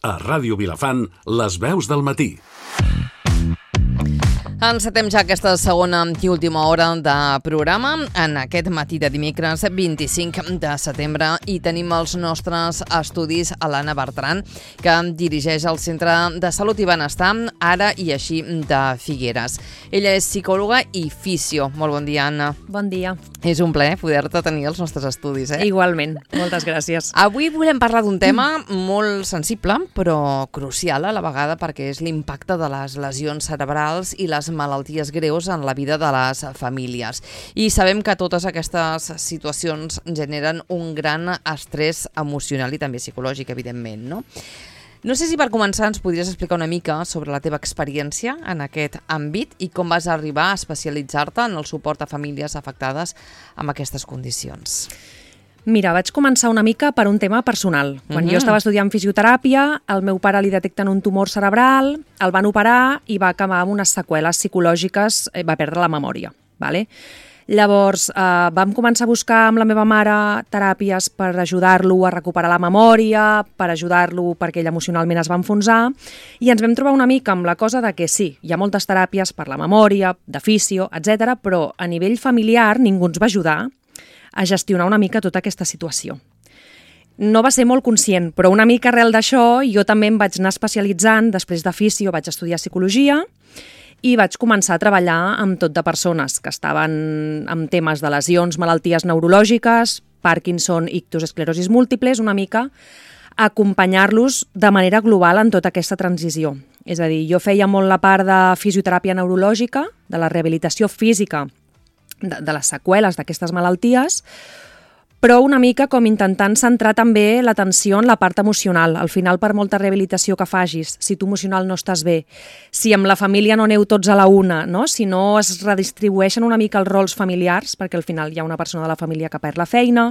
A Ràdio Vilafant, les veus del matí. Encetem ja aquesta segona i última hora de programa en aquest matí de dimecres 25 de setembre i tenim els nostres estudis a l'Anna Bertran, que dirigeix el Centre de Salut i Benestar Ara i Així de Figueres. Ella és psicòloga i fisio. Molt bon dia, Anna. Bon dia. És un plaer poder-te tenir als nostres estudis. Igualment, moltes gràcies. Avui volem parlar d'un tema molt sensible, però crucial a la vegada, perquè és l'impacte de les lesions cerebrals i les malalties greus en la vida de les famílies. I sabem que totes aquestes situacions generen un gran estrès emocional i també psicològic, evidentment, no? No sé si per començar ens podries explicar una mica sobre la teva experiència en aquest àmbit i com vas arribar a especialitzar-te en el suport a famílies afectades amb aquestes condicions. Mira, vaig començar una mica per un tema personal. Quan jo estava estudiant fisioteràpia, al meu pare li detecten un tumor cerebral, el van operar i va acabar amb unes seqüeles psicològiques, va perdre la memòria. Vale? Llavors, vam començar a buscar amb la meva mare teràpies per ajudar-lo a recuperar la memòria, per ajudar-lo perquè ell emocionalment es va enfonsar, i ens vam trobar una mica amb la cosa de que sí, hi ha moltes teràpies per la memòria, de fisio, etc., però a nivell familiar ningú ens va ajudar a gestionar una mica tota aquesta situació. No va ser molt conscient, però una mica arrel d'això jo també em vaig anar especialitzant, després de fisio vaig estudiar psicologia i vaig començar a treballar amb tot de persones que estaven amb temes de lesions, malalties neurològiques, Parkinson, ictus, esclerosis múltiples, una mica acompanyar-los de manera global en tota aquesta transició. És a dir, jo feia molt la part de fisioteràpia neurològica, de la rehabilitació física de les seqüeles d'aquestes malalties, però una mica com intentant centrar també l'atenció en la part emocional. Al final, per molta rehabilitació que facis, si tu emocional no estàs bé, si amb la família no aneu tots a la una, no? Si no es redistribueixen una mica els rols familiars, perquè al final hi ha una persona de la família que perd la feina,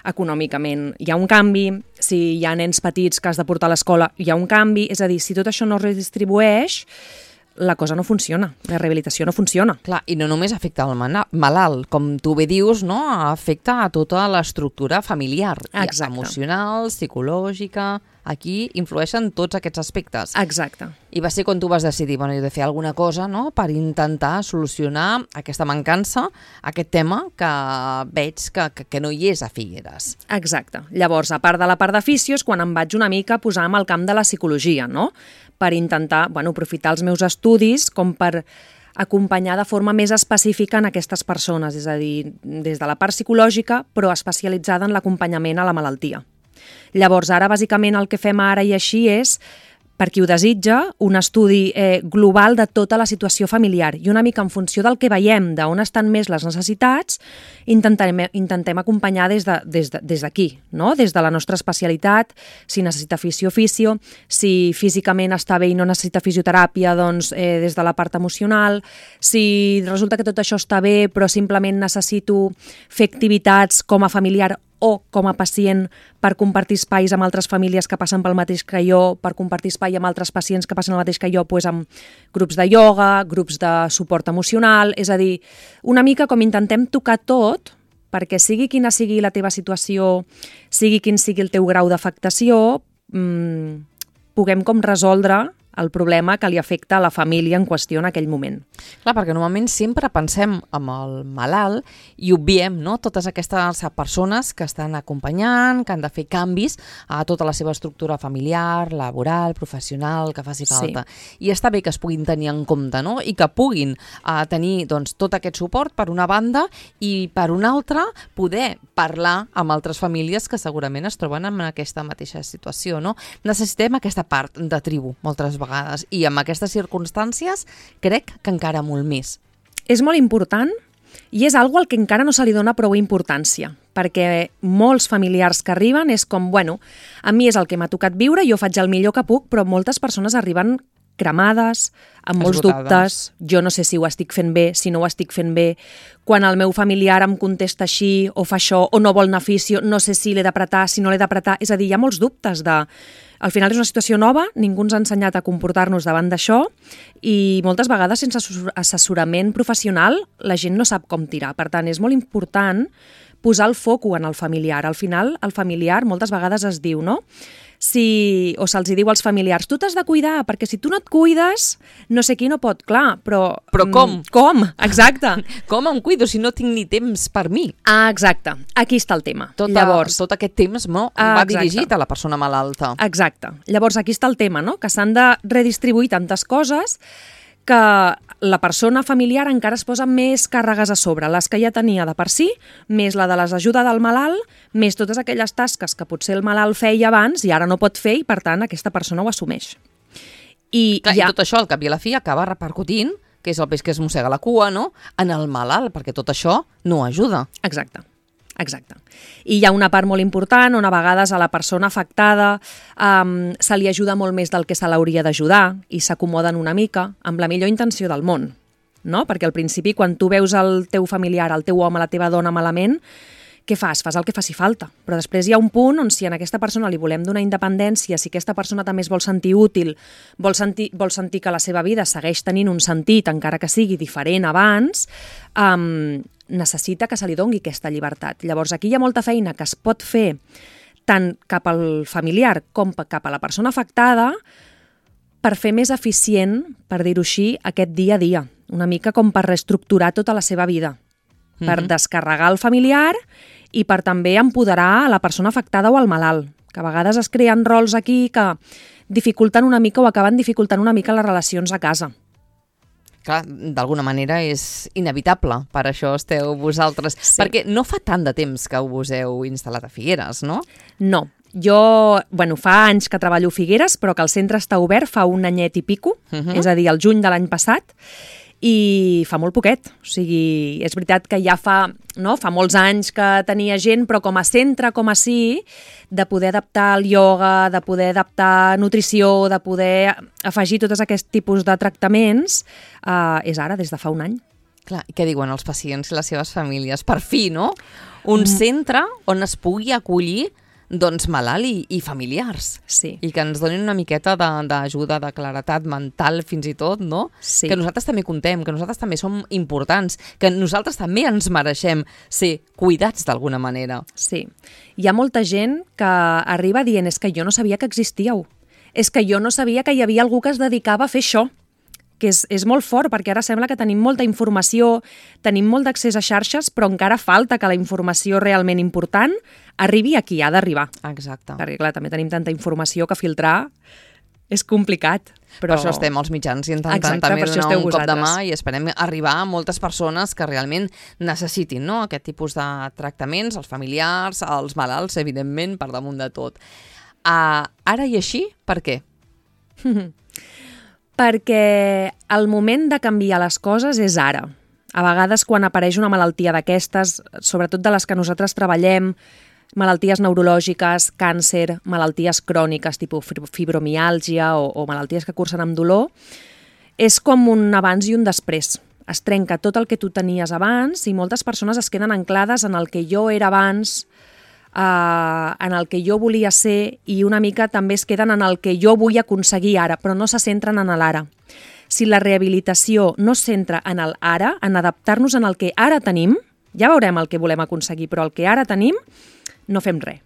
econòmicament hi ha un canvi, si hi ha nens petits que has de portar a l'escola hi ha un canvi, és a dir, si tot això no es redistribueix, la cosa no funciona, la rehabilitació no funciona. Clar, i no només afecta al malalt, com tu bé dius, no? Afecta a tota l'estructura familiar, emocional, psicològica. Aquí influeixen tots aquests aspectes. Exacte. I va ser quan tu vas decidir, jo he de fer alguna cosa, no?, per intentar solucionar aquesta mancança, aquest tema que veig que no hi és a Figueres. Exacte. Llavors, a part de la part de fisios, quan em vaig una mica posar amb el camp de la psicologia, no?, per intentar, aprofitar els meus estudis com per acompanyar de forma més específica en aquestes persones, és a dir, des de la part psicològica, però especialitzada en l'acompanyament a la malaltia. Llavors, ara, bàsicament, el que fem ara i així és, per qui ho desitja, un estudi global de tota la situació familiar i una mica en funció del que veiem, d'on estan més les necessitats, intentem acompanyar des d'aquí, no? Des de la nostra especialitat, si necessita fisio, si físicament està bé i no necessita fisioteràpia, doncs des de la part emocional, si resulta que tot això està bé però simplement necessito fer activitats com a familiar o com a pacient per compartir espais amb altres famílies que passen pel mateix que jo, per compartir espai amb altres pacients que passen el mateix que jo, doncs amb grups de ioga, grups de suport emocional, és a dir, una mica com intentem tocar tot perquè sigui quina sigui la teva situació, sigui quin sigui el teu grau d'afectació, puguem com resoldre el problema que li afecta a la família en qüestió en aquell moment. Clar, perquè normalment sempre pensem en el malalt i obviem, no?, totes aquestes persones que estan acompanyant, que han de fer canvis a tota la seva estructura familiar, laboral, professional, que faci falta. Sí. I està bé que es puguin tenir en compte, no?, i que puguin tenir doncs, tot aquest suport per una banda i per una altra poder parlar amb altres famílies que segurament es troben en aquesta mateixa situació, no? Necessitem aquesta part de tribu, moltes vegades. I amb aquestes circumstàncies crec que encara molt més. És molt important i és algo al que encara no se li dona prou importància, perquè molts familiars que arriben és com, a mi és el que m'ha tocat viure, jo faig el millor que puc, però moltes persones arriben cremades, amb molts dubtes, jo no sé si ho estic fent bé, si no ho estic fent bé, quan el meu familiar em contesta així o fa això o no vol anar a fisio, no sé si l'he d'apretar, si no l'he d'apretar, és a dir, hi ha molts dubtes de... Al final és una situació nova, ningú ens ha ensenyat a comportar-nos davant d'això i moltes vegades sense assessorament professional la gent no sap com tirar. Per tant, és molt important posar el foco en el familiar. Al final, el familiar moltes vegades es diu, no? o se'ls diu als familiars, tu t'has de cuidar, perquè si tu no et cuides, no sé qui no pot, clar, però... Però com? Com? Exacte. Com em cuido si no tinc ni temps per mi? Ah, exacte. Aquí està el tema. Llavors, tot aquest temps va dirigit a la persona malalta. Exacte. Llavors, aquí està el tema, no? Que s'han de redistribuir tantes coses que la persona familiar encara es posa més càrregues a sobre, les que ja tenia de per si, més la de les ajudes del malalt, més totes aquelles tasques que potser el malalt feia abans i ara no pot fer i, per tant, aquesta persona ho assumeix. I tot això, al cap i a la fi, acaba repercutint, que és el peix que es mossega la cua, no?, en el malalt, perquè tot això no ajuda. Exacte. I hi ha una part molt important on a vegades a la persona afectada se li ajuda molt més del que se l'hauria d'ajudar i s'acomoden una mica amb la millor intenció del món, no? Perquè al principi quan tu veus el teu familiar, el teu home, la teva dona malament, què fas? Fas el que faci falta. Però després hi ha un punt on si a aquesta persona li volem donar independència, si aquesta persona també es vol sentir útil, vol sentir que la seva vida segueix tenint un sentit, encara que sigui diferent abans, necessita que se li doni aquesta llibertat. Llavors, aquí hi ha molta feina que es pot fer tant cap al familiar com cap a la persona afectada per fer més eficient, per dir-ho així, aquest dia a dia. Una mica com per reestructurar tota la seva vida. Per descarregar el familiar i per també empoderar a la persona afectada o al malalt. Que a vegades es creen rols aquí que dificulten una mica o acaben dificultant una mica les relacions a casa. Clar, d'alguna manera és inevitable, per això esteu vosaltres. Sí. Perquè no fa tant de temps que us heu instal·lat a Figueres, no? No, jo, fa anys que treballo a Figueres, però que el centre està obert fa un anyet i pico, és a dir, el juny de l'any passat, i fa molt poquet. O sigui, és veritat que ja fa molts anys que tenia gent, però com a centre, com a sí, de poder adaptar el ioga, de poder adaptar nutrició, de poder afegir tots aquests tipus de tractaments, és ara, des de fa un any. Clar, i què diuen els pacients i les seves famílies? Per fi, no? Un centre on es pugui acollir malalt i familiars. Sí. I que ens donin una miqueta d'ajuda, de claretat mental, fins i tot, no? Sí. Que nosaltres també contem, que nosaltres també som importants, que nosaltres també ens mereixem ser cuidats d'alguna manera. Sí. Hi ha molta gent que arriba dient és que jo no sabia que existíeu. És que jo no sabia que hi havia algú que es dedicava a fer això. Que és molt fort, perquè ara sembla que tenim molta informació, tenim molt d'accés a xarxes, però encara falta que la informació realment important arribi a qui ha d'arribar. Exacte. Perquè, clar, també tenim tanta informació que filtrar és complicat. Però... Per això estem els mitjans intentant també donar un cop de mà i esperem arribar a moltes persones que realment necessitin, no?, aquest tipus de tractaments, els familiars, els malalts, evidentment, per damunt de tot. Ara i així, per què? Perquè el moment de canviar les coses és ara. A vegades quan apareix una malaltia d'aquestes, sobretot de les que nosaltres treballem, malalties neurològiques, càncer, malalties cròniques, tipus fibromiàlgia o malalties que cursen amb dolor, és com un abans i un després. Es trenca tot el que tu tenies abans i moltes persones es queden anclades en el que jo era abans, en el que jo volia ser i una mica també es queden en el que jo vull aconseguir ara, però no se centren en l'ara. Si la rehabilitació no es centra en l'ara, en adaptar-nos en el que ara tenim, ja veurem el que volem aconseguir, però el que ara tenim no fem res.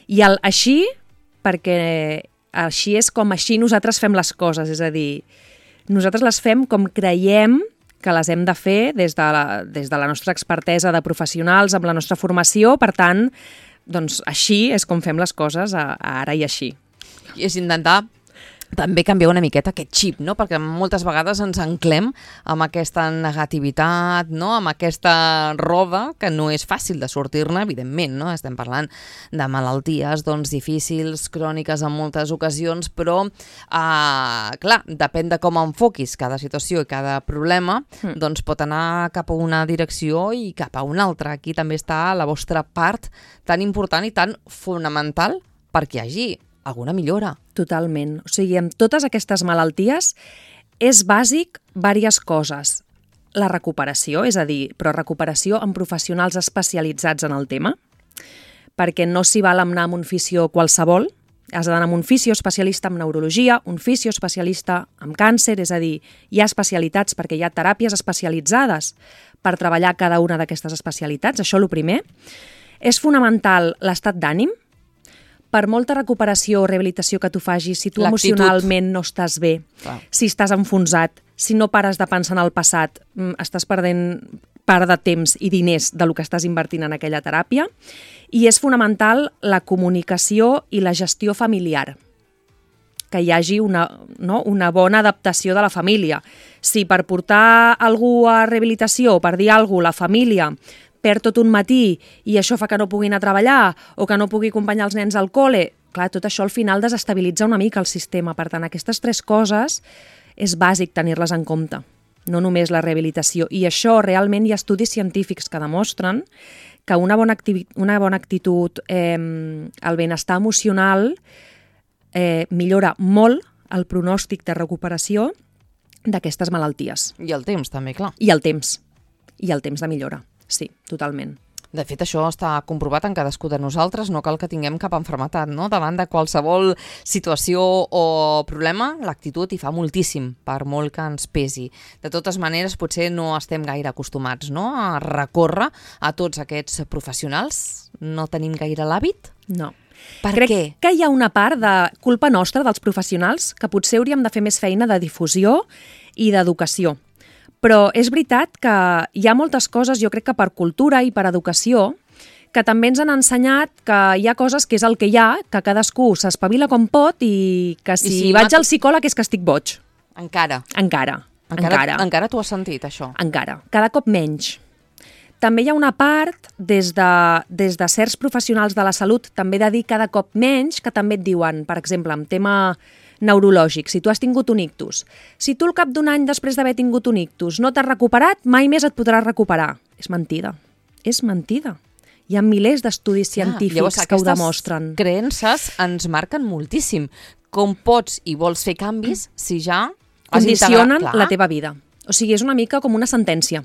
I així, perquè així és com així nosaltres fem les coses, és a dir, nosaltres les fem com creiem que les hem de fer des de la nostra expertesa de professionals, amb la nostra formació, per tant, doncs així és com fem les coses ara i així. I és intentar també canviar una miqueta aquest xip, no? Perquè moltes vegades ens anclem amb aquesta negativitat, no? Amb aquesta roda que no és fàcil de sortir-ne, evidentment, no? Estem parlant de malalties difícils, cròniques en moltes ocasions, però, clar, depèn de com enfoquis cada situació i cada problema, doncs pot anar cap a una direcció i cap a una altra. Aquí també està la vostra part tan important i tan fonamental perquè hi hagi alguna millora. Totalment. O sigui, amb totes aquestes malalties és bàsic diverses coses. La recuperació, és a dir, però recuperació amb professionals especialitzats en el tema, perquè no s'hi val anar amb un fisio qualsevol, has d'anar amb un fisio especialista en neurologia, un fisio especialista en càncer, és a dir, hi ha especialitats perquè hi ha teràpies especialitzades per treballar cada una d'aquestes especialitats, això el primer. És fonamental l'estat d'ànim, per molta recuperació o rehabilitació que tu facis, si tu L'actitud. emocionalment no estàs bé, Clar. si estàs enfonsat, si no pares de pensar en el passat, estàs perdent part de temps i diners del que estàs invertint en aquella teràpia. I és fonamental la comunicació i la gestió familiar, que hi hagi una bona adaptació de la família. Si per portar algú a rehabilitació o per dir alguna cosa, la família perd tot un matí i això fa que no pugui anar a treballar o que no pugui acompanyar els nens al col·le, clar, tot això al final desestabilitza una mica el sistema. Per tant, aquestes 3 coses és bàsic tenir-les en compte, no només la rehabilitació. I això realment hi ha estudis científics que demostren que una bona actitud, el benestar emocional, millora molt el pronòstic de recuperació d'aquestes malalties. I el temps, també, clar. I el temps de millora, sí, totalment. De fet, això està comprovat en cadascú de nosaltres, no cal que tinguem cap malaltia, no? Davant de qualsevol situació o problema, l'actitud hi fa moltíssim, per molt que ens pesi. De totes maneres, potser no estem gaire acostumats, no?, a recórrer a tots aquests professionals. No tenim gaire l'hàbit? No. Per què? Que hi ha una part de culpa nostra dels professionals que potser hauríem de fer més feina de difusió i d'educació. Però és veritat que hi ha moltes coses, jo crec que per cultura i per educació, que també ens han ensenyat que hi ha coses que és el que hi ha, que cadascú s'espavila com pot i que si vaig al psicòleg és que estic boig. Encara tu has sentit això? Encara. Cada cop menys. També hi ha una part, des de certs professionals de la salut, també de dir cada cop menys, que també et diuen, per exemple, en tema neurològic, si tu has tingut un ictus, si tu al cap d'un any després d'haver tingut un ictus no t'has recuperat, mai més et podràs recuperar. És mentida. És mentida. Hi ha milers d'estudis científics que ho demostren. Aquestes creences ens marquen moltíssim. Com pots i vols fer canvis si ja has condicionen integrat... la teva vida. O sigui, és una mica com una sentència.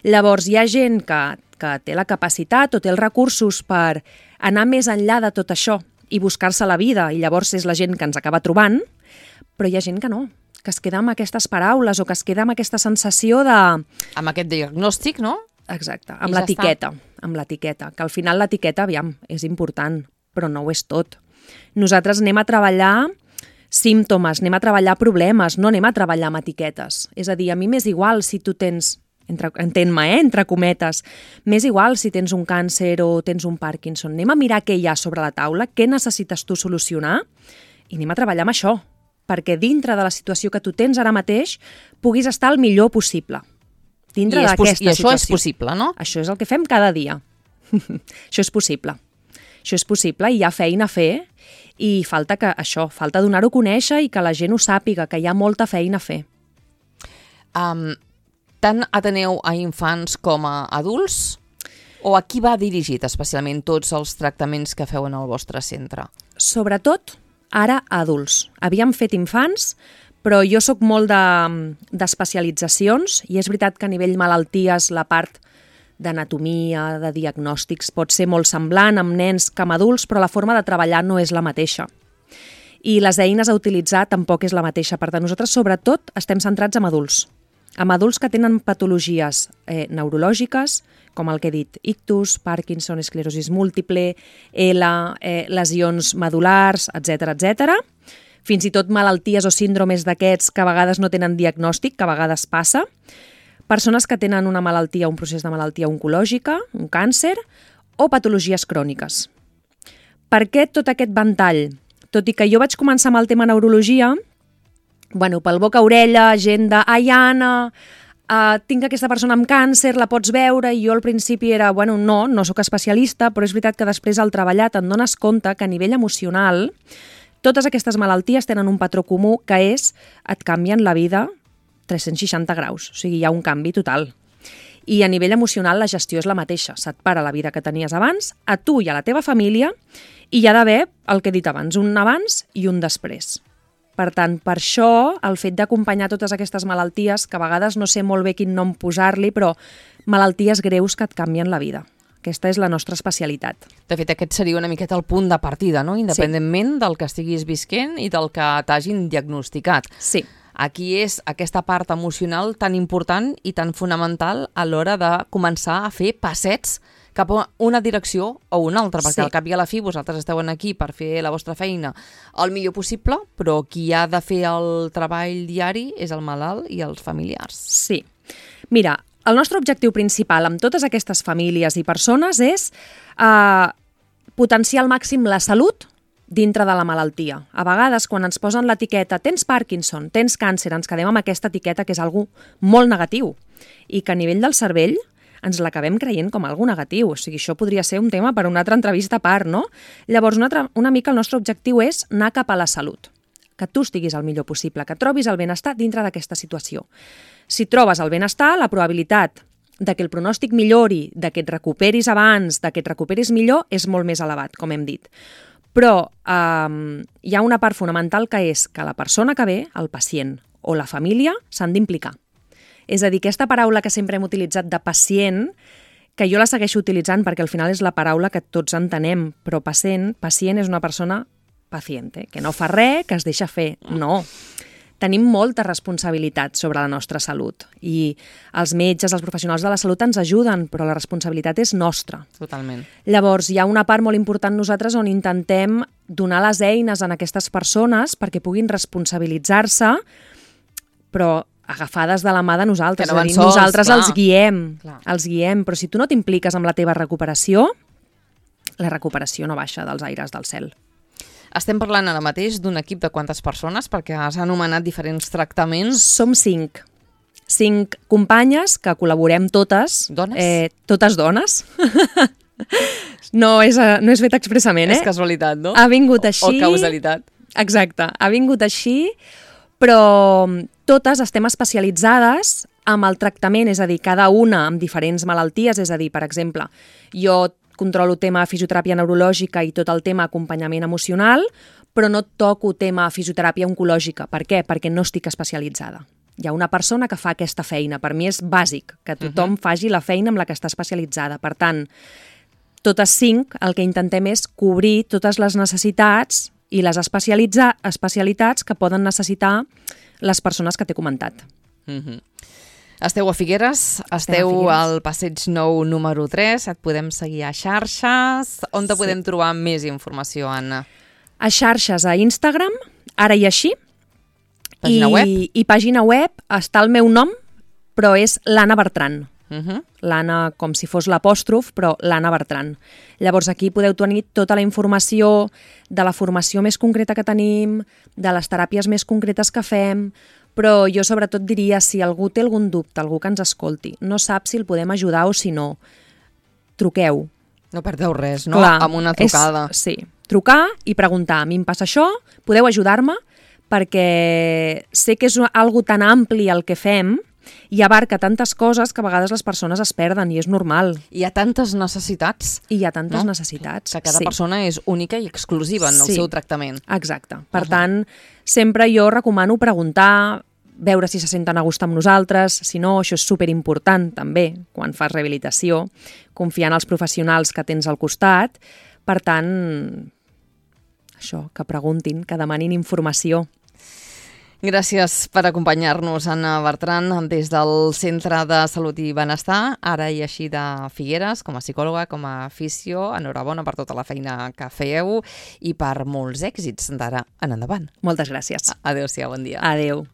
Llavors, hi ha gent que té la capacitat o té els recursos per anar més enllà de tot això i buscar-se la vida, i llavors és la gent que ens acaba trobant, però hi ha gent que no, que es queda amb aquestes paraules o que es queda amb aquesta sensació de... Amb aquest diagnòstic, no? Exacte, amb l'etiqueta, que al final l'etiqueta, aviam, és important, però no ho és tot. Nosaltres anem a treballar símptomes, anem a treballar problemes, no anem a treballar amb etiquetes. És a dir, a mi m'és igual si tu tens... entén-me, entre cometes, m'és igual si tens un càncer o tens un Parkinson. Anem a mirar què hi ha sobre la taula, què necessites tu solucionar i anem a treballar amb això, perquè dintre de la situació que tu tens ara mateix puguis estar el millor possible. Dintre d'aquesta situació. I això és possible, no? Això és el que fem cada dia. Això és possible. Això és possible i hi ha feina a fer i falta donar-ho a conèixer i que la gent ho sàpiga, que hi ha molta feina a fer. Tant ateneu a infants com a adults? O a qui va dirigit especialment tots els tractaments que feu en el vostre centre? Sobretot, ara a adults. Havíem fet infants, però jo sóc molt d'especialitzacions i és veritat que a nivell malalties la part d'anatomia, de diagnòstics pot ser molt semblant amb nens que amb adults, però la forma de treballar no és la mateixa. I les eines a utilitzar tampoc és la mateixa. Per tant, nosaltres sobretot estem centrats en adults. Amb adults que tenen patologies neurològiques, com el que he dit, ictus, Parkinson, esclerosis múltiple, lesions medulars, etc. Fins i tot malalties o síndromes d'aquests que a vegades no tenen diagnòstic, que a vegades passa. Persones que tenen una malaltia, un procés de malaltia oncològica, un càncer, o patologies cròniques. Per què tot aquest ventall? Tot i que jo vaig començar amb el tema neurologia, pel boca-orella, gent de «Ai, Anna, tinc aquesta persona amb càncer, la pots veure?» I jo al principi era, no sóc especialista, però és veritat que després al treballar te'n dones compte que a nivell emocional totes aquestes malalties tenen un patró comú que és et canvien la vida 360 graus, o sigui, hi ha un canvi total. I a nivell emocional la gestió és la mateixa, se't para la vida que tenies abans, a tu i a la teva família, i hi ha d'haver, el que he dit abans, un abans i un després. Per tant, per això, el fet d'acompanyar totes aquestes malalties, que a vegades no sé molt bé quin nom posar-li, però malalties greus que et canvien la vida. Aquesta és la nostra especialitat. De fet, aquest seria una miqueta el punt de partida, no? Independentment del que estiguis visquent i del que t'hagin diagnosticat. Sí. Aquí és aquesta part emocional tan important i tan fonamental a l'hora de començar a fer passets cap a una direcció o una altra, perquè Sí. al cap i a la fi vosaltres esteu aquí per fer la vostra feina el millor possible, però qui ha de fer el treball diari és el malalt i els familiars. Sí. Mira, el nostre objectiu principal amb totes aquestes famílies i persones és potenciar al màxim la salut dintre de la malaltia. A vegades, quan ens posen l'etiqueta tens Parkinson, tens càncer, ens quedem amb aquesta etiqueta que és algo molt negatiu i que a nivell del cervell ens l'acabem creient com algo negatiu. O sigui, això podria ser un tema per a una altra entrevista a part, no? Llavors, una mica el nostre objectiu és anar cap a la salut, que tu estiguis el millor possible, que trobis el benestar dintre d'aquesta situació. Si trobes el benestar, la probabilitat de que el pronòstic millori, de que et recuperis abans, de que et recuperis millor, és molt més elevat, com hem dit. Però hi ha una part fonamental que és que la persona que ve, el pacient o la família, s'han d'implicar. És a dir, aquesta paraula que sempre hem utilitzat de pacient, que jo la segueixo utilitzant perquè al final és la paraula que tots entenem, però pacient és una persona paciente, que no fa res, que es deixa fer. No. Tenim molta responsabilitat sobre la nostra salut i els metges, els professionals de la salut ens ajuden, però la responsabilitat és nostra. Totalment. Llavors, hi ha una part molt important nosaltres on intentem donar les eines a aquestes persones perquè puguin responsabilitzar-se, però agafades de la mà de nosaltres. Que no van és a dir, sols, nosaltres clar. els guiem, però si tu no t'impliques amb la teva recuperació, la recuperació no baixa dels aires del cel. Estem parlant ara mateix d'un equip de quantes persones? Perquè has anomenat diferents tractaments. Som 5. 5 companyes que col·laborem totes. Dones? Totes dones. No és fet expressament, És casualitat, no? Ha vingut així. O causalitat. Exacte. Ha vingut així, però totes estem especialitzades amb el tractament, és a dir, cada una amb diferents malalties, és a dir, per exemple, jo controlo tema fisioteràpia neurològica i tot el tema acompanyament emocional, però no toco tema fisioteràpia oncològica. Per què? Perquè no estic especialitzada. Hi ha una persona que fa aquesta feina. Per mi és bàsic que tothom faci la feina amb la que està especialitzada. Per tant, totes 5 el que intentem és cobrir totes les necessitats i les especialitats que poden necessitar les persones que t'he comentat. Esteu a Figueres, esteu al Passeig Nou número 3, et podem seguir a xarxes. On te podem trobar més informació, Anna? A xarxes, a Instagram, ara i així. Pàgina web? I pàgina web està el meu nom, però és l'Anna Bertran. L'Anna com si fos l'apòstrof, però l'Anna Bertran. Llavors aquí podeu tenir tota la informació de la formació més concreta que tenim, de les teràpies més concretes que fem, però jo sobretot diria, si algú té algun dubte, algú que ens escolti, no sap si el podem ajudar o si no, truqueu. No perdeu res, no? Clar, Amb una trucada. Sí, trucar i preguntar, a mi em passa això, podeu ajudar-me? Perquè sé que és algo tan ampli el que fem i abarca tantes coses que a vegades les persones es perden i és normal. Hi ha tantes necessitats. I hi ha tantes necessitats. Que cada persona és única i exclusiva en el seu tractament. Exacte. Per tant, sempre jo recomano preguntar, veure si se senten a gust amb nosaltres, si no, això és superimportant també, quan fas rehabilitació, confiar en els professionals que tens al costat. Per tant, això, que preguntin, que demanin informació. Gràcies per acompanyar-nos, Anna Bertran, des del Centre de Salut i Benestar, ara i així de Figueres, com a psicòloga, com a fisio. Enhorabona per tota la feina que feu i per molts èxits d'ara en endavant. Moltes gràcies. Adéu-siau, bon dia. Adéu.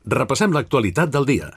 Repassem l'actualitat del dia.